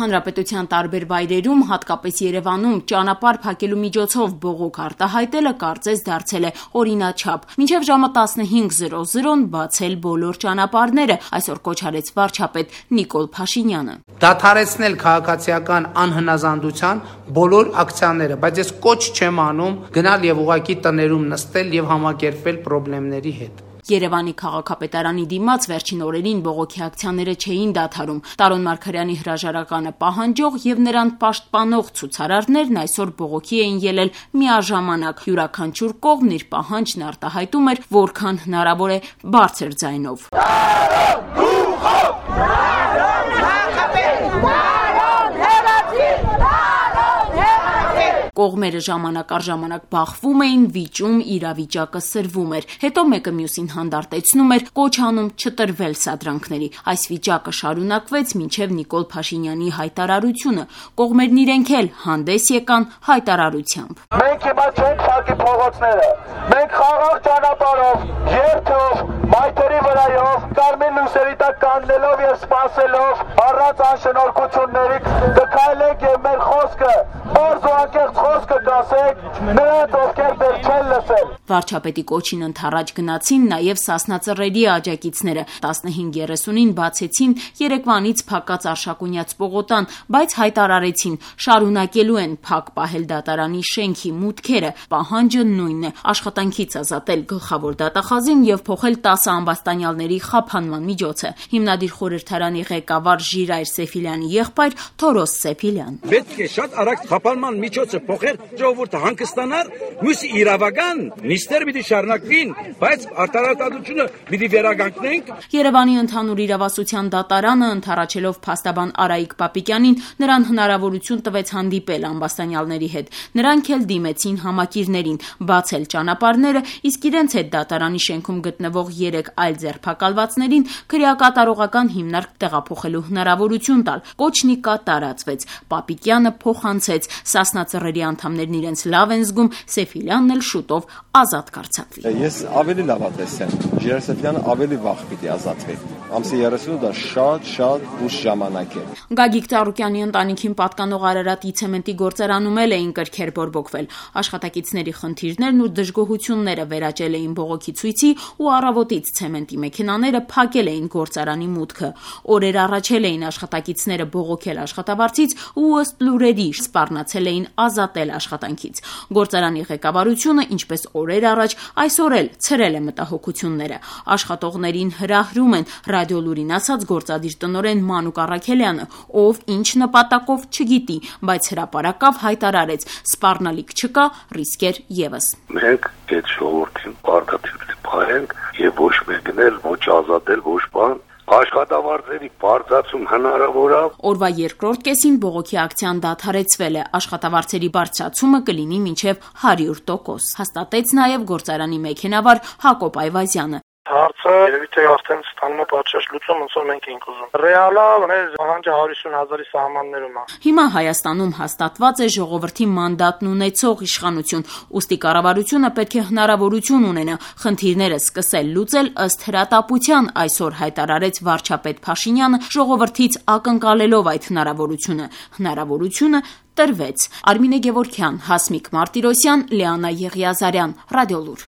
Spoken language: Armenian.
Հանրապետության տարբեր վայրերում, հատկապես Երևանում, ճանապարհ փակելու միջոցով բողոք արտահայտելը կարծես դարձել է օրինաչափ։ Մինչև ժամը 15:00 բացել բոլոր ճանապարհները, այսօր կոչ արեց վարչապետ Նիկոլ Փաշինյանը։ Դադարեցնել քաղաքացիական անհնազանդության բոլոր ակցիաները, բայց ես կոչ չեմ անում գնալ եւ ուղակի տներում նստել եւ համակերպվել խնդիրների հետ։ Երևանի քաղաքապետարանի դիմաց վերջին օրերին բողոքի ակցիաները չէին դադարում։ Տարոն Մարգարյանի հրաժարականը պահանջող եւ նրան պաշտպանող ցուցարարներն այսօր բողոքի էին ելել միաժամանակ։ Յուրաքանչյուր կողմ իր պահանջն արտահայտում էր որքան հնարավոր է բարձր ձայնով։ Կողմերը ժամանակ առ ժամանակ բախվում էին, վիճում, իրավիճակը սրվում էր։ Հետո մեկը մյուսին հանդարտեցնում էր, կոչ անում չտրվել սադրանքների։ Այս վիճակը շարունակվեց մինչև Նիկոլ Փաշինյանի հայտարարությունը։ Կողմերն իրենք էլ հանդես եկան հայտարարությամբ։ Մենք հիմա չենք փակի փողոցները։ Մենք խաղաղ ճանապարհով, երթով, մայթերի վրայով, կարմիր լույսերի տակ կանգնելով եւ սպասելով, առանց անշնորհքությունների կքայլենք եւ մեր խոսքը բարձ ու անկեղծ խոսքը կասեք նրանց, ովքեր դեռ չեն լսել։ Վարչապետի կոչին ընդառաջ գնացին նաև Սասնա Ծռերի աջակիցները։ 15:30-ին բացեցին երեկվանից փակած Արշակունյաց պողոտան, բայց հայտարարեցին շարունակելու են փակ պահել դատարանի շենքի մուտքերը։ Պահանջը նույնն է՝ աշխատանքից ազատել գլխավոր դատախազին եւ փոխել 10 ամբաստանյալների խափանման միջոցը։ Հիմնադիր խորհրդարանի ղեկավար Ժիրայր Սեֆիլյանի եղբայր Թորոս Սեֆիլյան։ Պետք է շատ արագ խափանման միջոցը փոխել, ժողովուրդը հանգստանար, մյուս իրավական նիստեր պիտի շարունակվին, բայց արտարարտադրությունը պիտի վերականգնենք։ Երևանի ընդհանուր իրավասության դատարանը ընդառաջելով փաստաբան Արայիկ Պապիկյանին նրան հնարավորություն տվեց հանդիպել ամբաստանյալների հետ։ Նրանք էլ դիմեցին համակիրներին բացել ճանապարհները, իսկ իրենց հետ դատարանի շենքում գտնվող 3 այլ ձերբակալվածներին քրեակատարողական հիմնարկ տեղափոխելու հնարավորություն տալ։ Կոչն ի կատարածվեց։ Պապիկյանը փոխանցեց, Սասնա Ծռերի անդամներն իրենց լավ են զգում, Սեֆիլյանն էլ շուտով ազատ կարձակվի։ Ես ավելի լավ տեսեմ, Ժիրայր Սեֆիլյանը ավելի վաղ պիտի ազատվի։ Ամսի 30-ը դա շատ ուշ ժամանակ է։ Գագիկ Ծառուկյանի ընտանիքին պատկանող Արարատի ցեմենտի գործարանում էլ էին կրքեր բորբոքվել։ Աշխատակիցների խնդիրներն ու դժգոհությունները վերաճել էին բողոքի ցույցի ու առավոտից ցեմենտի մեքենաները փակել էին գործարանի մուտքը։ Օրեր առաջ էին աշխատակիցները բողոքել աշխատավարձից ու ըստ լուրերի սպառնացել էին ազատել աշխատանքից։ Գործարանի ղեկավարությունը, ինչպես օրեր առաջ, այսօր էլ ցրել է մտահոգությունները։ Աշխատողներին հրահրում են ռադիոլուրին ասաց գործադիր տնօրեն Մանուկ Առաքելյանը, ով ինչ նպատակով չգիտի, բայց հրապարակավ հայտարարեց՝ սպառնալիք չկա, ռիսկեր եւս։ Մենք այդ ժողովրդին պարտադիր փայենք եւ ոչ մեկն էլ ոչ ազատել, ոչ բան աշխատավարձերի բարձրացում հնարավոր է։ Օրվա երկրորդ կեսին բողոքի ակցիան դադարեցվել է, աշխատավարձերի բարձրացումը կլինի մինչև 100%, հաստատեց նաև գործարանի մեքենավար Հակոբ Այվազյանը։ Հարցը երևի թե արդեն ստանում է պատշաճ լուծում, ոնց որ մենք էինք ուզում։ Ռեալա մեր պահանջը 150,000-ի սահմաններում է։ Հիմա Հայաստանում հաստատված է ժողովրդի մանդատն ունեցող իշխանություն, ուստի կառավարությունը պետք է հնարավորություն ունենա խնդիրները սկսել լուծել ըստ հրատապության, այսօր հայտարարեց վարչապետ Փաշինյանը, ժողովրդից ակնկալելով այդ հնարավորությունը։ Հնարավորությունը տրվեց։ Արմինե Գևորգյան, Հասմիկ Մարտիրոսյան, Լիանա Եղիազարյան, Ռադիոլուր։